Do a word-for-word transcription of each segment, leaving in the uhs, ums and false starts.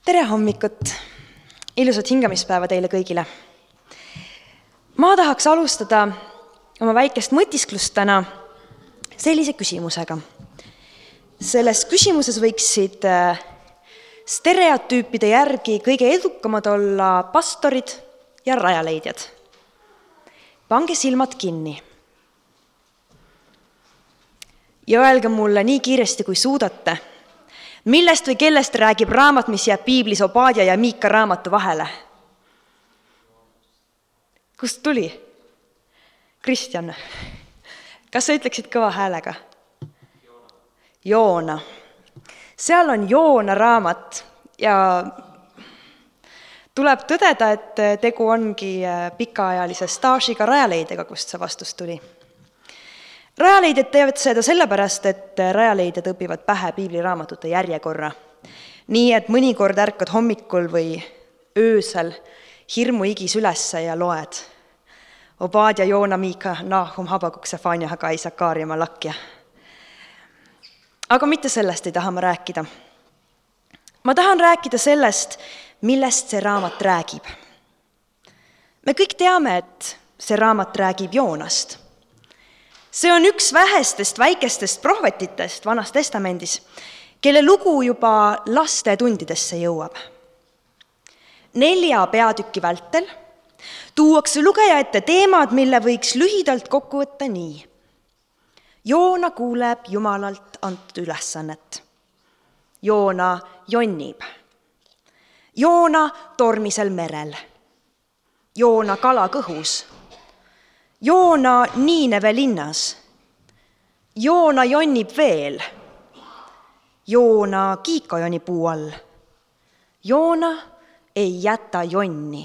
Tere hommikut! Ilusat hingamispäeva teile kõigile. Ma tahaks alustada oma väikest mõtisklust täna sellise küsimusega. Selles küsimuses võiksid stereotüüpide järgi kõige edukamad olla pastorid ja rajaleidjad. Pange silmad kinni. Ja öelge mulle nii kiiresti, kui suudate, millest või kellest räägib raamat, mis jääb piiblis Obadja ja Miika raamatu vahele? Kust tuli? Kristjan, kas sa ütleksid kõva häälega? Joona. Seal on Joona raamat ja tuleb tõdeda, et tegu ongi pikaajalise staažiga rajaleidega, kust see vastus tuli. Rajaleidjad teevad seda sellepärast, et rajaleidjad õpivad pähe piibliraamatute järjekorra. Nii, et mõnikord ärkad hommikul või öösel hirmu igis ülesse ja loed. Obadja, Joona, Miika, Nahum, Habakuk, Sefania, Hagai, Sakaaria, Malakja. Aga mitte sellest ei taha ma rääkida. Ma tahan rääkida sellest, millest see raamat räägib. Me kõik teame, et see raamat räägib Joonast. See on üks vähestest väikestest prohvetitest Vanas Testamendis, kelle lugu juba laste tundidesse jõuab. Nelja peatüki vältel tuuakse lugeja ette teemad, mille võiks lühidalt kokku võtta nii. Joona kuuleb Jumalalt antud ülesannet. Joona jonnib. Joona tormisel merel. Joona kala kõhus. Joona Niineve linnas. Joona jonnib veel. Joona kiikajoni puu all. Joona ei jäta jonni.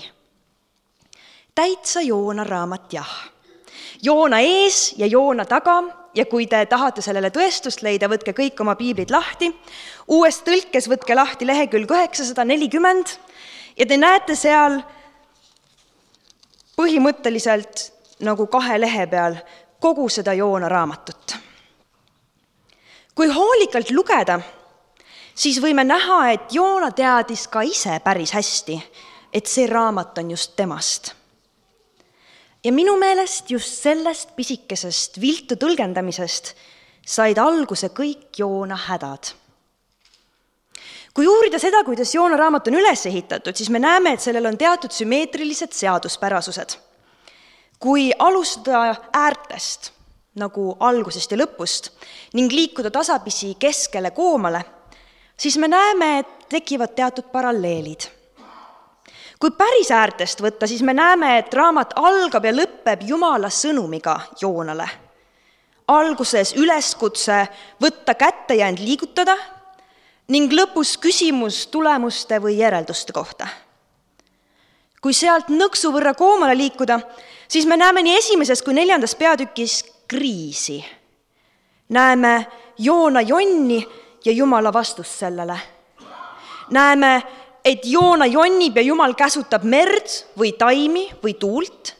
Täitsa Joona raamat jah. Joona ees ja Joona taga ja kui te tahate sellele tõestust leida, võtke kõik oma piiblid lahti. Uues tõlkes võtke lahti lehekülg üheksasada nelikümmend ja te näete seal põhimõtteliselt nagu kahe lehe peal kogu seda Joona raamatut. Kui hoolikalt lugeda, siis võime näha, et Joona teadis ka ise päris hästi, et see raamat on just temast. Ja minu meelest just sellest pisikesest viltu tõlgendamisest said alguse kõik Joona hädad. Kui uurida seda, kuidas Joona raamat on üles ehitatud, siis me näeme, et sellel on teatud sümmeetrilised seaduspärasused. Kui alustada äärtest, nagu algusest ja lõpust, ning liikuda tasapisi keskele koomale, siis me näeme, et tekivad teatud paralleelid. Kui päris äärtest võtta, siis me näeme, et raamat algab ja lõpeb Jumala sõnumiga Joonale. Alguses üleskutse võtta kätte ja end liigutada ning lõpus küsimus tulemuste või järelduste kohta. Kui sealt nõksu võrra koomale liikuda, siis me näeme nii esimeses kui neljandas peatükis kriisi. Näeme Joona jonni ja Jumala vastust sellele. Näeme, et Joona jonnib ja Jumal käsutab merd või taimi või tuult.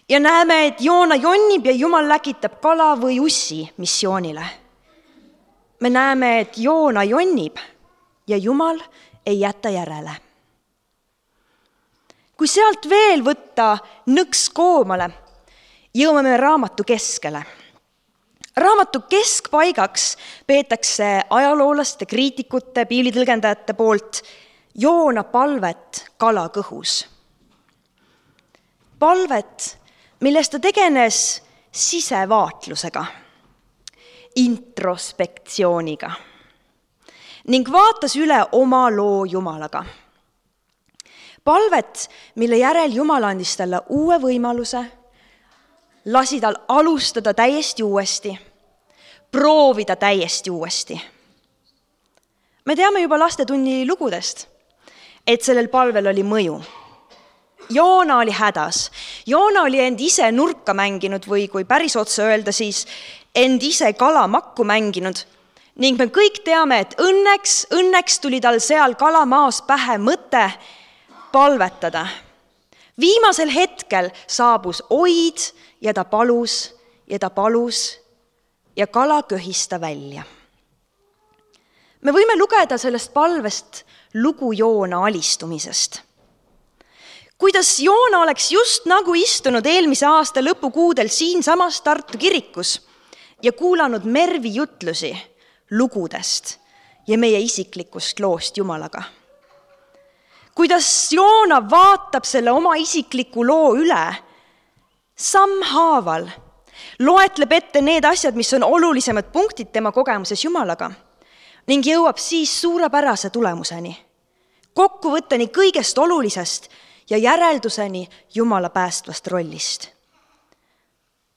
Ja näeme, et Joona jonnib ja Jumal läkitab kala või ussi missioonile. Me näeme, et Joona jonnib ja Jumal ei jäta järele. Kui sealt veel võtta nõks koomale, jõuame me raamatu keskele. Raamatu keskpaigaks peetakse ajaloolaste, kriitikute, piiblitõlgendajate poolt Joona palvet kala kõhus. Palvet, millest ta tegenes sisevaatlusega, introspektsiooniga ning vaatas üle oma loo Jumalaga. Palvet, mille järel Jumal andis talle uue võimaluse, lasi tal alustada täiesti uuesti, proovida täiesti uuesti. Me teame juba lastetunni lugudest, et sellel palvel oli mõju. Joona oli hädas. Joona oli end ise nurka mänginud või kui päris otsa öelda, siis end ise kalamakku mänginud. Ning me kõik teame, et õnneks, õnneks tuli tal seal kalamaas pähe mõte palvetada. Viimasel hetkel saabus oid ja ta palus ja ta palus ja kala köhis ta välja. me võime lugeda sellest palvest lugu Joona alistumisest. Kuidas Joona oleks just nagu istunud eelmise aasta lõpukuudel siinsamas Tartu kirikus ja kuulanud Mervi jutlusi lugudest ja meie isiklikust loost Jumalaga. Kuidas Joona vaatab selle oma isikliku loo üle, sammhaaval, loetleb ette need asjad, mis on olulisemad punktid tema kogemuses Jumalaga ning jõuab siis suurepärase tulemuseni, kokkuvõtteni kõigest olulisest ja järelduseni Jumala päästvast rollist.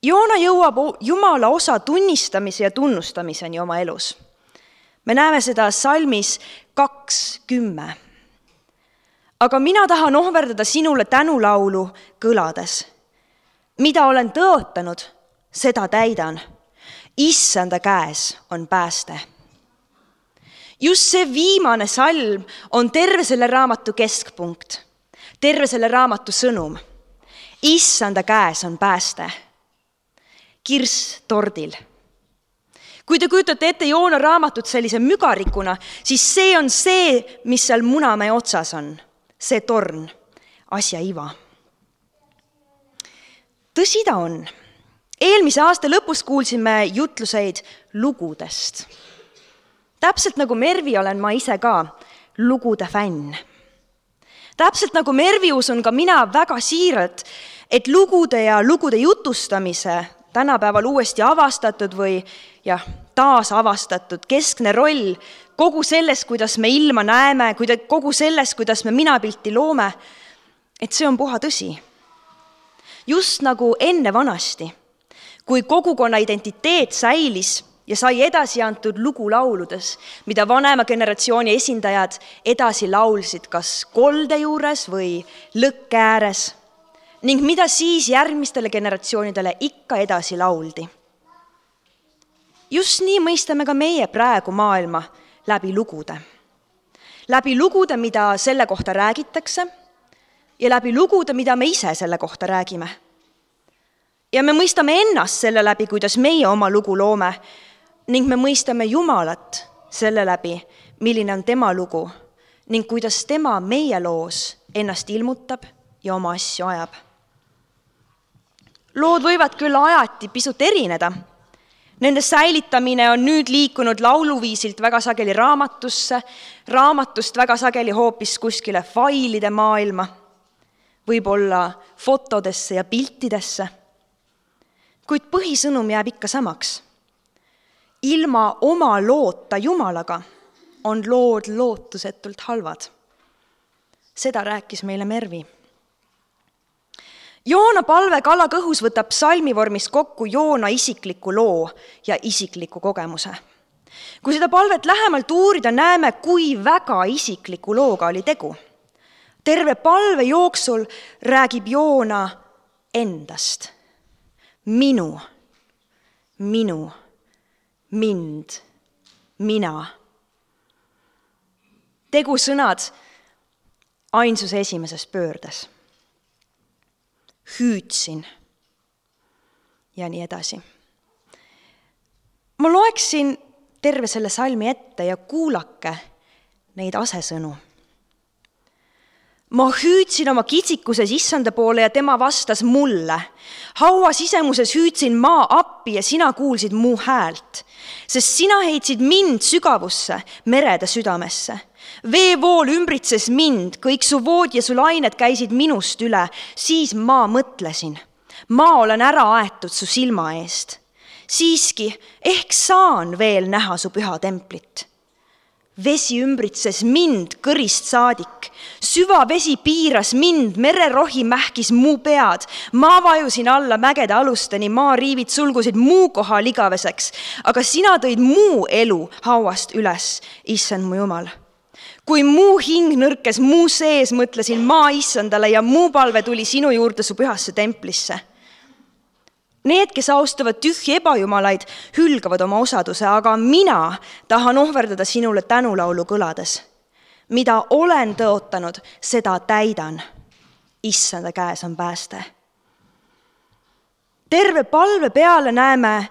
Joona jõuab Jumala osa tunnistamise ja tunnustamiseni oma elus. Me näeme seda salmis kaks kümme. Aga mina tahan ohverdada sinule tänulaulu kõlades. Mida olen tõotanud, seda täidan. Issanda käes on pääste. Just see viimane salm on terve selle raamatu keskpunkt. Terve selle raamatu sõnum. Issanda käes on pääste. Kirss tordil. Kui te kujutate ette Joona raamatut sellise mügarikuna, siis see on see, mis seal Munamäe otsas on. See torn, asja iva. Tõsi ta on. Eelmise aasta lõpus kuulsime jutluseid lugudest. Täpselt nagu Mervi olen ma ise ka lugude fänn. Täpselt nagu Mervi usun ka mina väga siiralt, et lugude ja lugude jutustamise tänapäeval uuesti avastatud või jah, taas avastatud keskne roll kogu selles, kuidas me ilma näeme, kogu selles, kuidas me minapilti loome, et see on puha tõsi. Just nagu enne vanasti, kui kogukonna identiteet säilis ja sai edasi antud lugulauludes, mida vanema generatsiooni esindajad edasi laulsid kas kolde juures või lõkke ääres, ning mida siis järgmistele generatsioonidele ikka edasi lauldi. Just nii mõistame ka meie praegu maailma läbi lugude. Läbi lugude, mida selle kohta räägitakse, ja läbi lugude, mida me ise selle kohta räägime. Ja me mõistame ennast selle läbi, kuidas meie oma lugu loome, ning me mõistame Jumalat selle läbi, milline on tema lugu, ning kuidas tema meie loos ennast ilmutab ja oma asju ajab. Lood võivad küll ajati pisut erineda. Nende säilitamine on nüüd liikunud lauluviisilt väga sageli raamatusse, raamatust väga sageli hoopis kuskile failide maailma, võib-olla fotodesse ja piltidesse. Kuid põhisõnum jääb ikka samaks. Ilma oma loota Jumalaga on lood lootusetult halvad. Seda rääkis meile Mervi. Joona palve kalakõhus võtab salmivormis kokku Joona isikliku loo ja isikliku kogemuse. Kui seda palvet lähemalt uurida, näeme, kui väga isikliku looga oli tegu. Terve palve jooksul räägib Joona endast. Minu, minu, mind, mina. Tegu sõnad ainsuse esimeses pöördes. Hüüdsin ja nii edasi. Ma loeksin terve selle salmi ette ja kuulake neid asesõnu. Ma hüüdsin oma kitsikuses issanda poole ja tema vastas mulle. Haua sisemuses hüüdsin maa appi ja sina kuulsid mu häält, sest sina heitsid mind sügavusse, merede südamesse. Veevool ümbritses mind, kõik su vood ja su lained käisid minust üle, siis ma mõtlesin. Ma olen ära aetud su silma eest. Siiski, ehk saan veel näha su püha templit. Vesi ümbritses mind kõrist saadik. Süva vesi piiras mind, mererohi mähkis mu pead. Ma vajusin alla mägede alusteni, maariivid sulgusid mu koha ligaveseks. Aga sina tõid mu elu hauast üles, issand mu Jumal. Kui mu hing nõrkes mu sees, mõtlesin ma issandale ja mu palve tuli sinu juurde su pühasse templisse. Need, kes austavad tühji ebajumalaid, hülgavad oma osaduse, aga mina tahan ohverdada sinule tänulaulu kõlades. Mida olen tõotanud, seda täidan. Issanda käes on pääste. Terve palve peale näeme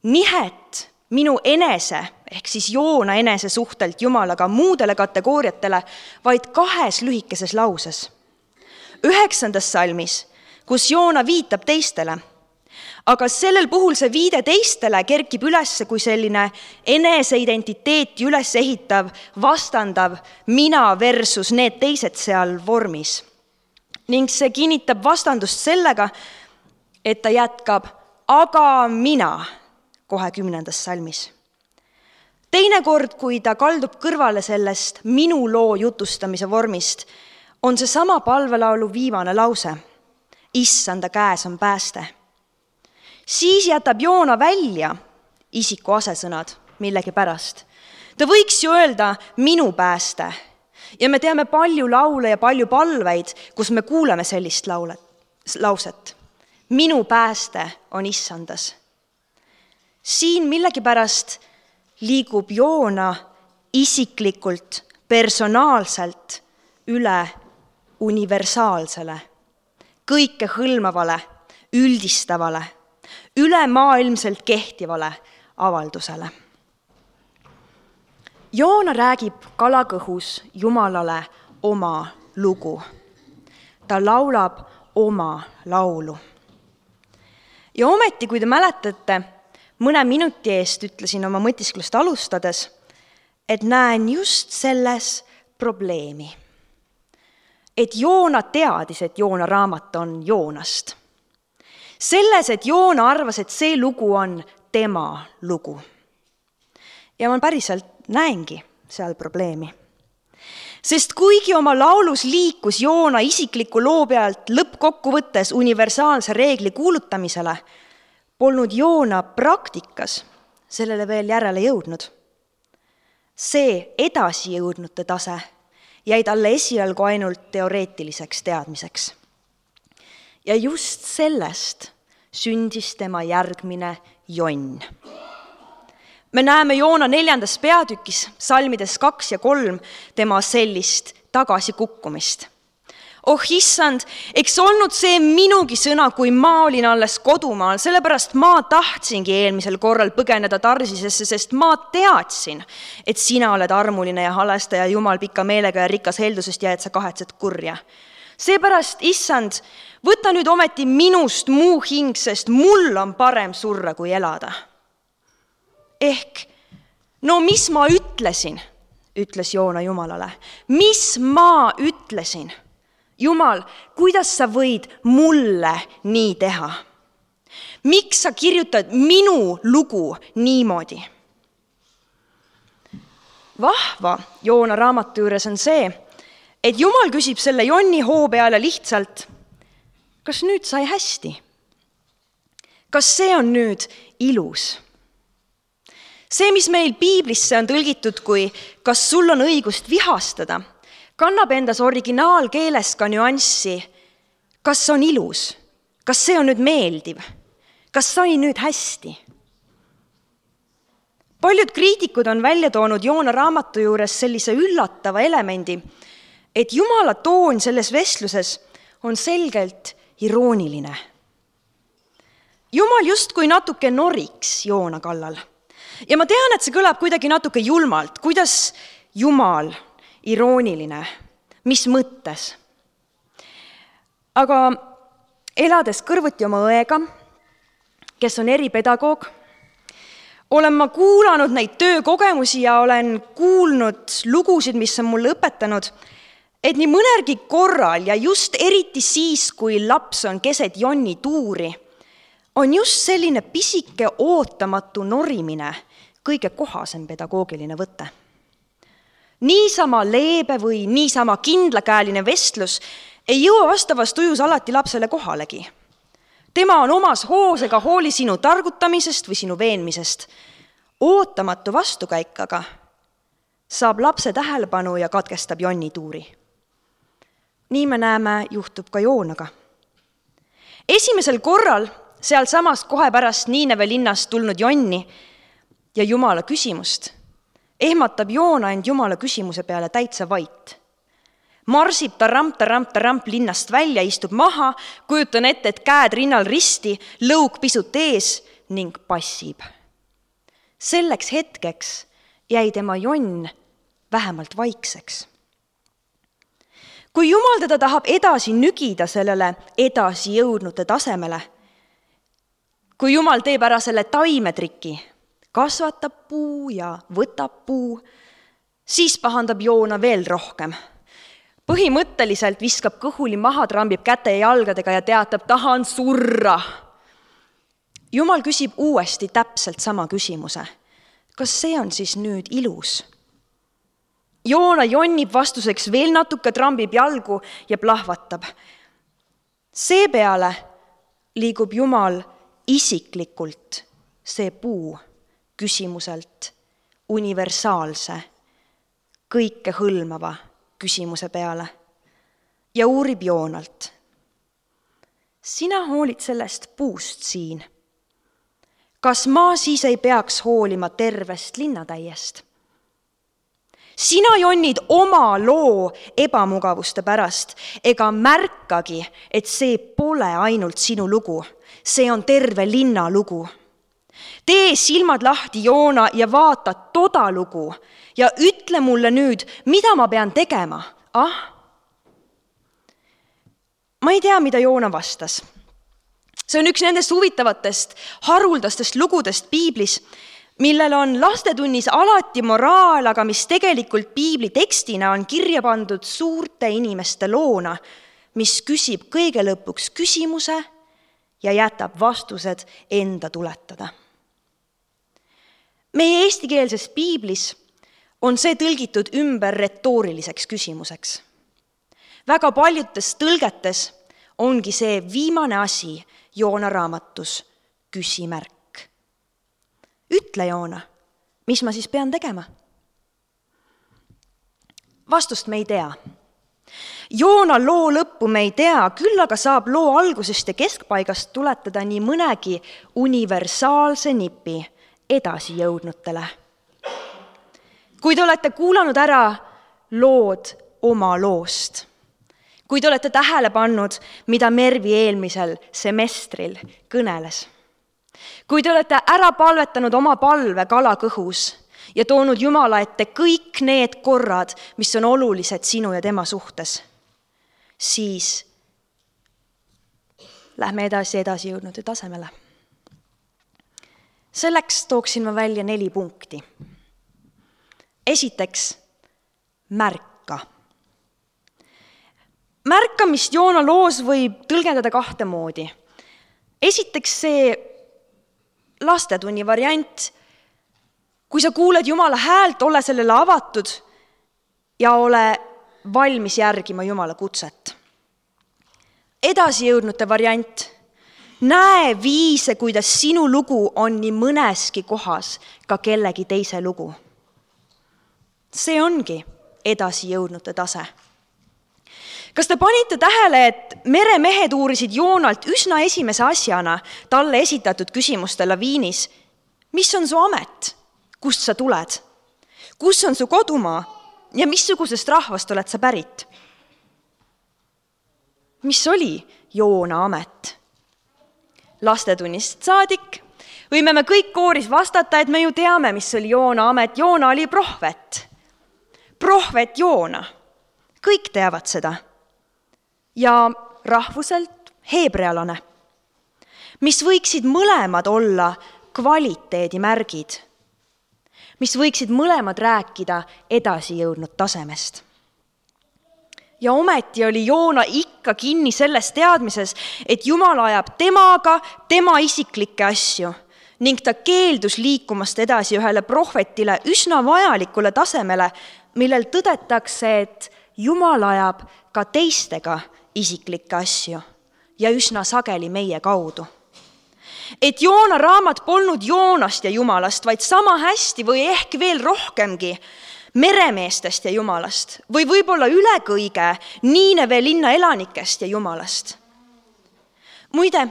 nihet minu enese ehk siis Joona enese suhtelt Jumalaga muudele kategooriatele, vaid kahes lühikeses lauses. Üheksandas salmis, kus Joona viitab teistele, aga sellel puhul see viide teistele kerkib üles kui selline eneseidentiteeti üles ehitav, vastandav mina versus need teised seal vormis. Ning see kinnitab vastandust sellega, et ta jätkab aga mina kohe kümnendas salmis. Teinekord, kui ta kaldub kõrvale sellest minu loo jutustamise vormist, on see sama palvelaulu viimane lause. Issanda käes on pääste. Siis jätab Joona välja isiku asesõnad millegi pärast. Ta võiks ju öelda minu pääste. Ja me teame palju laule ja palju palveid, kus me kuuleme sellist laulet, lauset. Minu pääste on issandas. Siin millegi pärast liigub Joona isiklikult, personaalselt üle universaalsele, kõike hõlmavale, üldistavale, ülemaailmselt kehtivale avaldusele. Joona räägib kalakõhus Jumalale oma lugu. Ta laulab oma laulu. Ja ometi, kui te mäletate, mõne minuti eest ütlesin oma mõtisklust alustades, et näen just selles probleemi. Et Joona teadis, et Joona raamat on Joonast. Selles, et Joona arvas, et see lugu on tema lugu. Ja ma päriselt näengi seal probleemi. Sest kuigi oma laulus liikus Joona isikliku loo pealt lõppkokkuvõttes universaalse reegli kuulutamisele, polnud Joona praktikas sellele veel järele jõudnud. See edasi jõudnute tase jäi talle esialgu ainult teoreetiliseks teadmiseks. Ja just sellest sündis tema järgmine jonn. Me näeme Joona neljandas peatükis, salmides kaks ja kolm, tema sellist tagasikukkumist. Oh issand, eks olnud see minugi sõna, kui ma olin alles kodumaal, sellepärast ma tahtsingi eelmisel korral põgeneda Tarsisesse, sest ma teadsin, et sina oled armuline ja halestaja Jumal pika meelega ja rikas heldusest ja et sa kahetsed kurja. Seepärast, issand, võta nüüd ometi minust muu hing, sest mul on parem surra kui elada. Ehk, no mis ma ütlesin, ütles Joona Jumalale. Mis ma ütlesin? Jumal, kuidas sa võid mulle nii teha? Miks sa kirjutad minu lugu niimoodi? Vahva Joona raamatu juures on see, et Jumal küsib selle jonni hoo peale lihtsalt, kas nüüd sai hästi? Kas see on nüüd ilus? See, mis meil piiblisse on tõlgitud kui kas sul on õigust vihastada, kannab endas originaalkeeles ka nüanssi, kas on ilus, kas see on nüüd meeldiv, kas sai nüüd hästi. Paljud kriitikud on välja toonud Joona raamatu juures sellise üllatava elemendi, et Jumala toon selles vestluses on selgelt irooniline. Jumal justkui natuke noriks Joona kallal. Ja ma tean, et see kõlab kuidagi natuke julmalt, kuidas Jumal irooniline, mis mõttes. Aga elades kõrvuti oma õega, kes on eripedagoog, olen ma kuulanud neid töökogemusi ja olen kuulnud lugusid, mis on mulle õpetanud, et nii mõnergi korral ja just eriti siis, kui laps on keset jonni tuuri, on just selline pisike ootamatu norimine kõige kohasem pedagoogiline võte. Niisama leebe või niisama kindlakäeline vestlus ei jõua vastavas tujus alati lapsele kohalegi. Tema on omas hoos ega hooli sinu targutamisest või sinu veenmisest. Ootamatu vastukäik aga saab lapse tähelepanu ja katkestab jonni tuuri. Nii me näeme, juhtub ka Joonaga. Esimesel korral seal samas kohe pärast Niineve linnast tulnud jonni ja Jumala küsimust ehmatab Joona end Jumala küsimuse peale täitsa vait. Marsib ta ramp, ta ramp, ta ramp linnast välja, istub maha, kujutan ette, et käed rinnal risti, lõug pisut ees ning passib. Selleks hetkeks jäi tema jonn vähemalt vaikseks. Kui Jumal teda tahab edasi nügida sellele edasi jõudnute tasemele, kui Jumal teeb ära selle taimetriki, kasvatab puu ja võtab puu, siis pahandab Joona veel rohkem. Põhimõtteliselt viskab kõhuli maha, trambib käte ja jalgadega ja teatab, tahan surra. Jumal küsib uuesti täpselt sama küsimuse. Kas see on siis nüüd ilus? Joona jonnib vastuseks veel natuke, trambib jalgu ja plahvatab. Seepeale liigub Jumal isiklikult see puu küsimuselt universaalse, kõike hõlmava küsimuse peale ja uurib Joonalt. Sina hoolid sellest puust siin. Kas ma siis ei peaks hoolima tervest linnatäiest? Sina jonnid oma loo ebamugavuste pärast ega märkagi, et see pole ainult sinu lugu. See on terve linna lugu. Tee silmad lahti, Joona, ja vaata toda lugu ja ütle mulle nüüd, mida ma pean tegema. Ah? Ma ei tea, mida Joona vastas. See on üks nendest huvitavatest, haruldastest lugudest piiblis, millel on lastetunnis alati moraal, aga mis tegelikult piibli tekstina on kirja pandud suurte inimeste loona, mis küsib kõige lõpuks küsimuse ja jätab vastused enda tuletada. Meie eestikeelses piiblis on see tõlgitud ümber retooriliseks küsimuseks. Väga paljudes tõlgetes ongi see viimane asi Joona raamatus küsimärk. Ütle, Joona, mis ma siis pean tegema? Vastust me ei tea. Joona loo lõppu me ei tea, küll aga saab loo algusest ja keskpaigast tuletada nii mõnegi universaalse nipi edasi jõudnutele. Kui te olete kuulanud ära lood oma loost, kui te olete tähele pannud, mida Mervi eelmisel semestril kõneles, kui te olete ära palvetanud oma palve kala kõhus ja toonud Jumala ette kõik need korrad, mis on olulised sinu ja tema suhtes, siis lähme edasi edasi jõudnute tasemele. Selleks tooksin ma välja neli punkti. Esiteks, märka. Märkamist Joona loos võib tõlgendada kahte moodi. Esiteks see lastetunni variant, kui sa kuuled Jumala häält, ole sellele avatud ja ole valmis järgima Jumala kutset. Edasi jõudnute variant, näe viise, kuidas sinu lugu on nii mõneski kohas ka kellegi teise lugu. See ongi edasi jõudnute tase. Kas te panite tähele, et meremehed uurisid Joonalt üsna esimese asjana talle esitatud küsimuste laviinis, mis on su amet, kust sa tuled, kus on su kodumaa ja missugusest rahvast oled sa pärit? Mis oli Joona amet? Lastetunnist saadik võime me kõik kooris vastata, et me ju teame, mis oli Joona amet. Joona oli prohvet. Prohvet Joona. Kõik teavad seda. Ja rahvuselt heebrealane, mis võiksid mõlemad olla kvaliteedimärgid, mis võiksid mõlemad rääkida edasi jõudnud tasemest. Ja ometi oli Joona ikka kinni selles teadmises, et Jumal ajab temaga tema isiklikke asju ning ta keeldus liikumast edasi ühele prohvetile üsna vajalikule tasemele, millel tõdetakse, et Jumal ajab ka teistega isiklikke asju ja üsna sageli meie kaudu. Et Joona raamat polnud Joonast ja Jumalast, vaid sama hästi või ehk veel rohkemgi meremeestest ja Jumalast või võib-olla üle kõige Niineve linna elanikest ja Jumalast. Muide,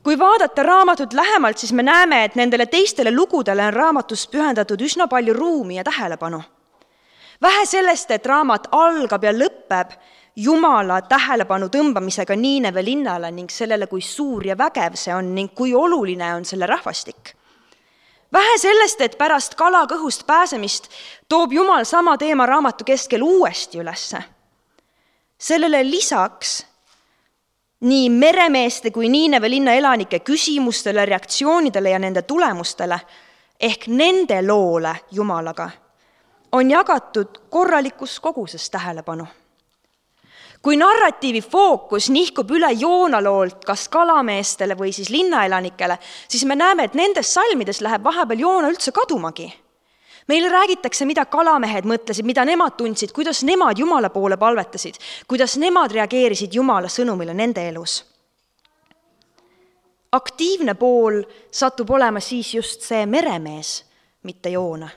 kui vaadata raamatut lähemalt, siis me näeme, et nendele teistele lugudele on raamatus pühendatud üsna palju ruumi ja tähelepanu. Vähe sellest, et raamat algab ja lõpeb Jumala tähelepanu tõmbamisega Niineve linnale ning sellele, kui suur ja vägev see on ning kui oluline on selle rahvastik. Vähe sellest, et pärast kala kõhust pääsemist toob Jumal sama teema raamatu keskel uuesti ülesse. Sellele lisaks nii meremeeste kui Niineve linna elanike küsimustele, reaktsioonidele ja nende tulemustele ehk nende loole Jumalaga on jagatud korralikus koguses tähelepanu. Kui narratiivi fookus nihkub üle Joona loolt kas kalameestele või siis linnaelanikele, siis me näeme, et nendes salmides läheb vahepeal Joona üldse kadumagi. Meile räägitakse, mida kalamehed mõtlesid, mida nemad tundsid, kuidas nemad Jumala poole palvetasid, kuidas nemad reageerisid Jumala sõnumile nende elus. Aktiivne pool satub olema siis just see meremees, mitte Joona.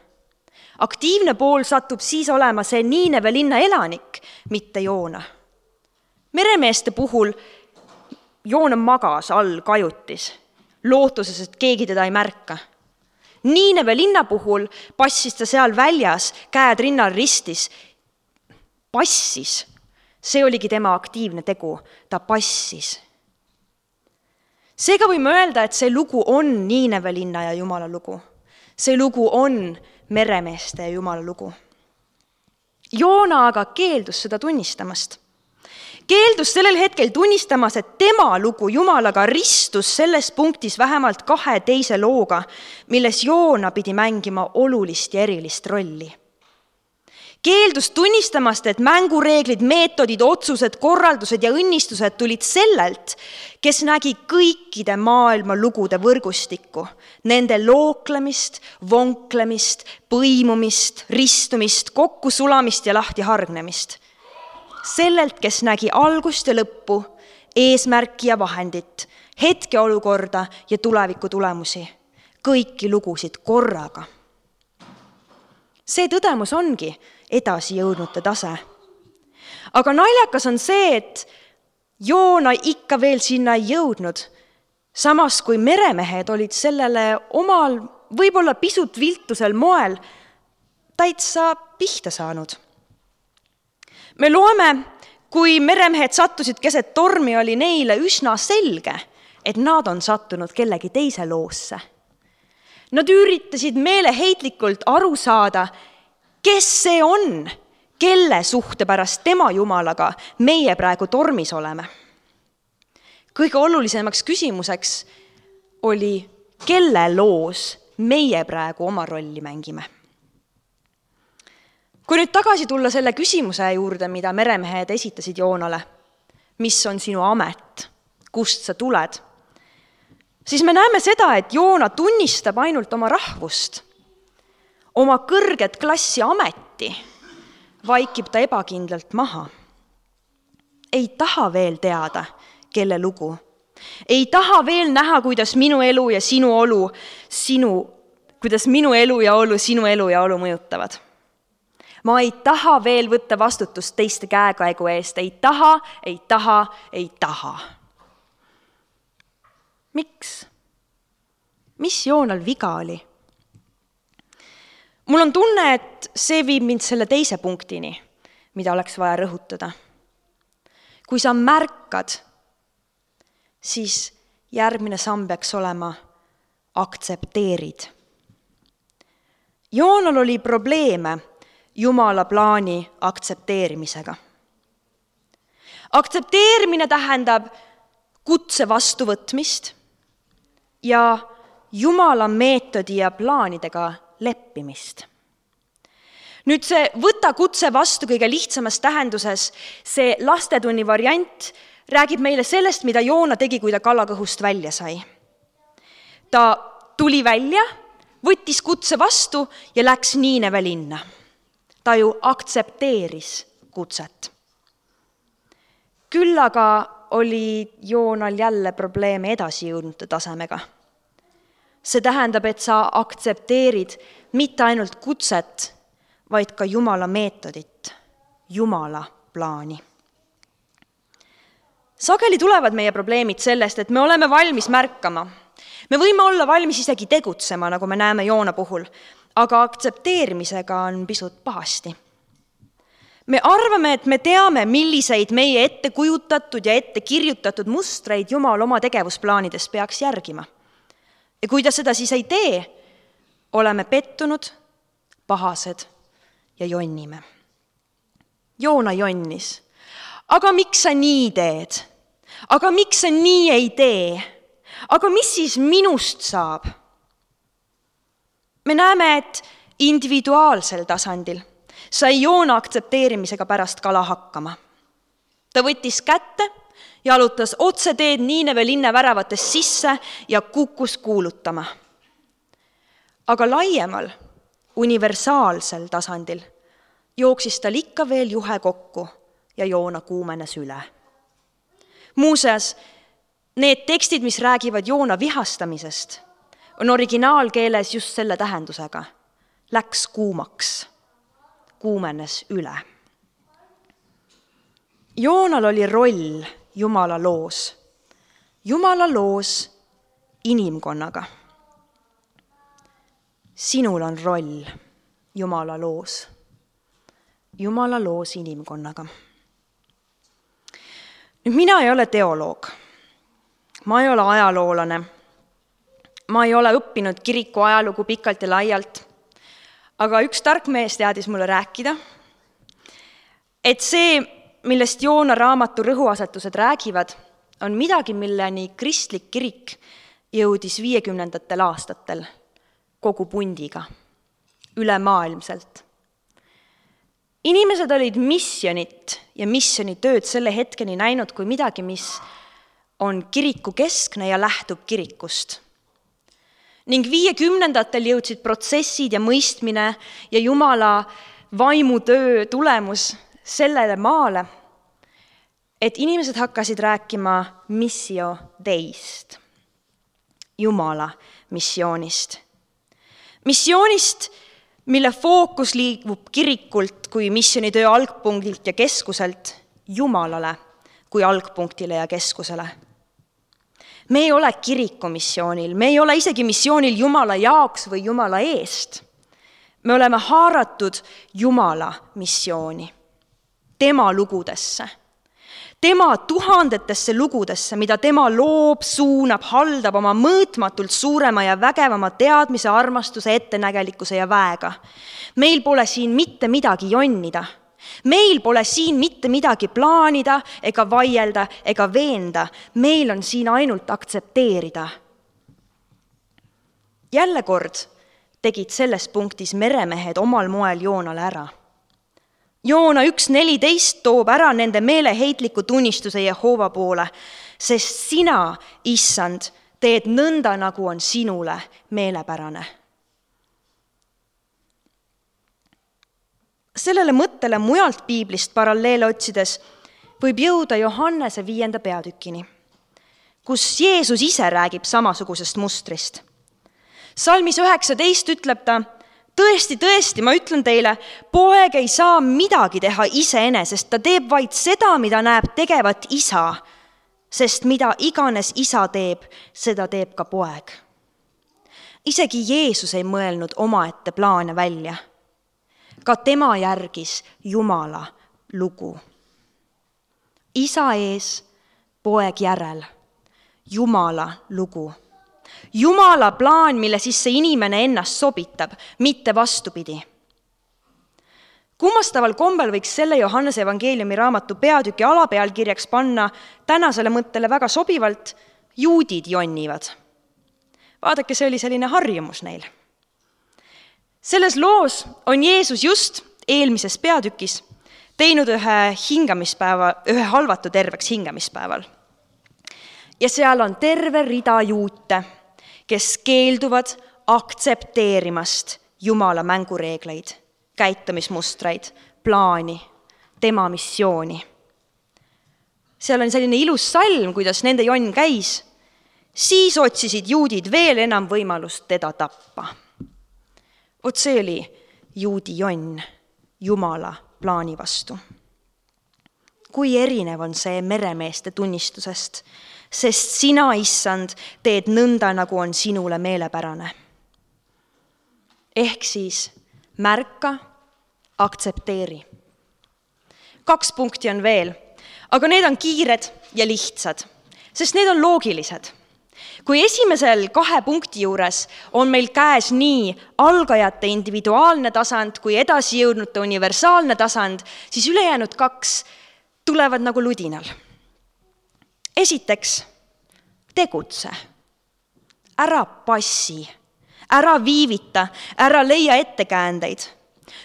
Aktiivne pool satub siis olema see Niineve linna elanik, mitte Joona. Meremeeste puhul Joona magas all kajutis, lootuses, et keegi teda ei märka. Niineve linna puhul passis ta seal väljas, käed rinnal ristis. Passis. See oligi tema aktiivne tegu. Ta passis. Seega võime öelda, et see lugu on Niineve linna ja Jumala lugu. See lugu on meremeeste ja Jumala lugu. Joona aga keeldus seda tunnistamast. Keeldus sellel hetkel tunnistamas, et tema lugu Jumalaga ristus selles punktis vähemalt kahe teise looga, milles Joona pidi mängima olulist ja erilist rolli. Keeldus tunnistamast, et mängureeglid, meetodid, otsused, korraldused ja õnnistused tulid sellelt, kes nägi kõikide maailma lugude võrgustikku, nende looklemist, vonklemist, põimumist, ristumist, kokkusulamist ja lahti hargnemist. Sellelt, kes nägi algust ja lõppu, eesmärki ja vahendit, hetkeolukorda ja tuleviku tulemusi, kõiki lugusid korraga. See tõdemus ongi edasi jõudnute tase. Aga naljakas on see, et Joona ikka veel sinna ei jõudnud, samas kui meremehed olid sellele omal, võib-olla pisut viltusel moel täitsa pihta saanud. Me loeme, kui meremehed sattusid keset tormi, oli neile üsna selge, et nad on sattunud kellegi teise loosse. Nad üritasid meeleheitlikult aru saada, kes see on, kelle suhte pärast tema Jumalaga meie praegu tormis oleme. Kõige olulisemaks küsimuseks oli, kelle loos meie praegu oma rolli mängime. Kui nüüd tagasi tulla selle küsimuse juurde, mida meremehed esitasid Joonale, mis on sinu amet, kust sa tuled, siis me näeme seda, et Joona tunnistab ainult oma rahvust, oma kõrget klassi ameti, vaikib ta ebakindlalt maha. Ei taha veel teada, kelle lugu. Ei taha veel näha, kuidas minu elu ja sinu olu, sinu, kuidas minu elu ja olu, sinu elu ja olu mõjutavad. Ma ei taha veel võtta vastutust teiste käekäigu eest. Ei taha, ei taha, ei taha. Miks? Mis Joonal viga oli? Mul on tunne, et see viib mind selle teise punktini, mida oleks vaja rõhutada. Kui sa märkad, siis järgmine samm peaks olema aktsepteerid. Joonal oli probleeme Jumala plaani aktsepteerimisega. Aktsepteerimine tähendab kutse vastuvõtmist ja Jumala meetodi ja plaanidega leppimist. Nüüd see võta kutse vastu kõige lihtsamas tähenduses, see lastetunni variant räägib meile sellest, mida Joona tegi, kui ta kalakõhust välja sai. Ta tuli välja, võttis kutse vastu ja läks Niineve linna. Ta ju aktsepteeris kutset. Küll aga oli Joonal jälle probleeme edasi jõudnute tasemega. See tähendab, et sa aktsepteerid mitte ainult kutset, vaid ka Jumala meetodit, Jumala plaani. Sageli tulevad meie probleemid sellest, et me oleme valmis märkama. Me võime olla valmis isegi tegutsema, nagu me näeme Joona puhul, aga aktsepteerimisega on pisut pahasti. Me arvame, et me teame, milliseid meie ette kujutatud ja ette kirjutatud mustreid Jumal oma tegevusplaanides peaks järgima. Ja kui ta seda siis ei tee, oleme pettunud, pahased ja jonnime. Joona jonnis. Aga miks sa nii teed? Aga miks sa nii ei tee? Aga mis siis minust saab? Me näeme, et individuaalsel tasandil sai Joona aktsepteerimisega pärast kala hakkama. Ta võttis kätte, jalutas otseteed Niineve linna väravatest sisse ja kukkus kuulutama. Aga laiemal, universaalsel tasandil jooksis tal ikka veel juhe kokku ja Joona kuumenes üle. Muuseas, need tekstid, mis räägivad Joona vihastamisest, on originaalkeeles just selle tähendusega. Läks kuumaks, kuumenes üle. Joonal oli roll Jumala loos. Jumala loos inimkonnaga. Sinul on roll Jumala loos. Jumala loos inimkonnaga. Nüüd mina ei ole teoloog. Ma ei ole ajaloolane. Ma ei ole õppinud kiriku ajalugu pikalt ja laialt. Aga üks tark mees teadis mulle rääkida, et see, millest Joona raamatu rõhuasetused räägivad, on midagi, milleni kristlik kirik jõudis viiekümnendatel aastatel kogu pundiga, ülemaailmselt. Inimesed olid missionit ja missionitööd selle hetkeni näinud kui midagi, mis on kiriku keskne ja lähtub kirikust. Ning viiekümnendatel jõudsid protsessid ja mõistmine ja Jumala vaimutöö tulemus sellele maale, et inimesed hakkasid rääkima missio deist, Jumala missioonist. Missioonist, mille fookus liigub kirikult kui missionitöö algpunktilt ja keskuselt Jumalale kui algpunktile ja keskusele. Me ei ole kiriku missioonil, me ei ole isegi missioonil Jumala jaoks või Jumala eest. Me oleme haaratud Jumala missiooni, tema lugudesse, tema tuhandetesse lugudesse, mida tema loob, suunab, haldab oma mõõtmatult suurema ja vägevama teadmise, armastuse, ettenägelikkuse ja väega. Meil pole siin mitte midagi jonnida. Meil pole siin mitte midagi plaanida ega vaielda ega veenda. Meil on siin ainult aktsepteerida. Jälle kord tegid selles punktis meremehed omal moel Joonale ära. Joona üks neliteist toob ära nende meeleheitliku tunnistuse Jehova poole, sest sina, issand, teed nõnda, nagu on sinule meelepärane. Sellele mõttele mujalt piiblist paralleele otsides võib jõuda Johannese viienda peatükini, kus Jeesus ise räägib samasugusest mustrist. Salmis üheksateist ütleb ta, tõesti, tõesti, ma ütlen teile, poeg ei saa midagi teha iseenesest, ta teeb vaid seda, mida näeb tegevat isa, sest mida iganes isa teeb, seda teeb ka poeg. Isegi Jeesus ei mõelnud omaette plaane välja. Ka tema järgis Jumala lugu. Isa ees, poeg järel, Jumala lugu. Jumala plaan, mille sisse inimene ennast sobitab, mitte vastupidi. Kummastaval kombel võiks selle Johannese evangeeliumi raamatu peatüki alapealkirjaks panna tänasele mõttele väga sobivalt juudid jonnivad. Vaadake, see oli selline harjumus neil. Selles loos on Jeesus just eelmises peatükis teinud ühe hingamispäeva, ühe halvatu terveks hingamispäeval. Ja seal on terve rida juute, kes keelduvad aktsepteerimast Jumala mängureegleid, käitumismustreid, plaani, tema missiooni. Seal on selline ilus salm, kuidas nende jonn käis. Siis otsisid juudid veel enam võimalust teda tappa. Vot see oli juudi jonn Jumala plaani vastu. Kui erinev on see meremeeste tunnistusest, sest sina, issand, teed nõnda, nagu on sinule meelepärane. Ehk siis märka, aktsepteeri. Kaks punkti on veel, aga need on kiired ja lihtsad, sest need on loogilised. Kui esimesel kahe punkti juures on meil käes nii algajate individuaalne tasand kui edasi jõudnute universaalne tasand, siis ülejäänud kaks tulevad nagu ludinal. Esiteks, tegutse. Ära passi, ära viivita, ära leia ettekäändeid.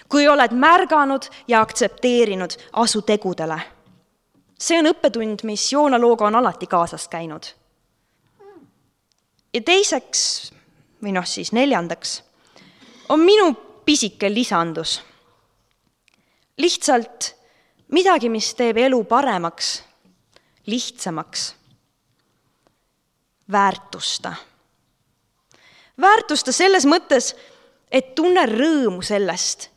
Kui oled märganud ja aktsepteerinud, asu tegudele. See on õppetund, mis Joona looga on alati kaasas käinud. Ja teiseks, või noh siis neljandaks, on minu pisike lisandus. Lihtsalt midagi, mis teeb elu paremaks, lihtsamaks. Väärtusta. Väärtusta selles mõttes, et tunne rõõmu sellest,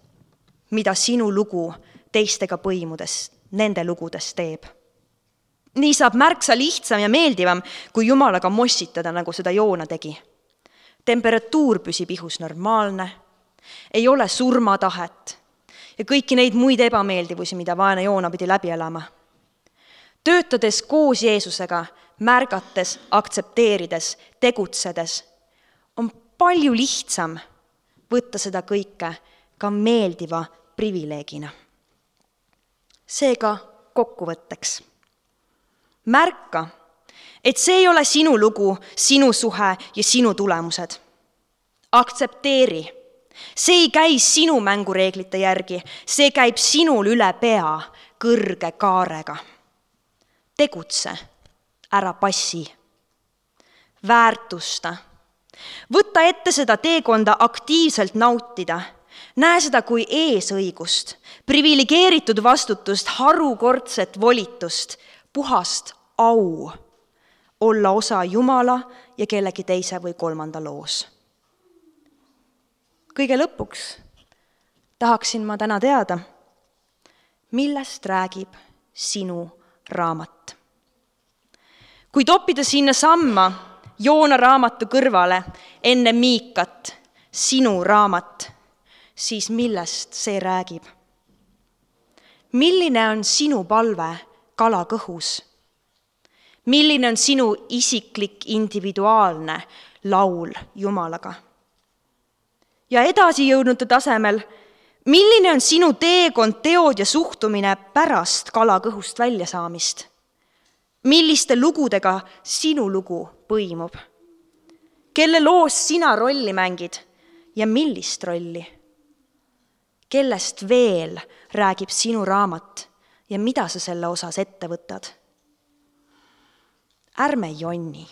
mida sinu lugu teistega põimudes, nende lugudes teeb. Nii saab märksa lihtsam ja meeldivam, kui Jumalaga mossitada, nagu seda Joona tegi. Temperatuur püsib ihus normaalne, ei ole surmatahet ja kõiki neid muid ebameeldivusi, mida vaene Joona pidi läbi elama. Töötades koos Jeesusega, märgates, aktsepteerides, tegutsedes, on palju lihtsam võtta seda kõike ka meeldiva privileegina. Seega kokkuvõtteks. Märka, et see ei ole sinu lugu, sinu suhe ja sinu tulemused. Aktsepteeri. See ei käi sinu mängureeglite järgi, see käib sinul üle pea kõrge kaarega. Tegutse, ära passi. Väärtusta. Võtta ette seda teekonda aktiivselt nautida. Näe seda kui eesõigust, privilegeeritud vastutust, harukordset volitust, puhast au olla osa Jumala ja kellegi teise või kolmanda loos. Kõige lõpuks tahaksin ma täna teada, millest räägib sinu raamat. Kui toppida sinna samma Joona raamatu kõrvale enne Miikat, sinu raamat, siis millest see räägib? Milline on sinu palve kala kõhus? Milline on sinu isiklik individuaalne laul Jumalaga? Ja edasi jõudnute tasemel, milline on sinu teekond, teod ja suhtumine pärast kala kõhust välja saamist? Milliste lugudega sinu lugu põimub? Kelle loos sina rolli mängid ja millist rolli? Kellest veel räägib sinu raamat ja mida sa selle osas ette võtad? Ärme jonni.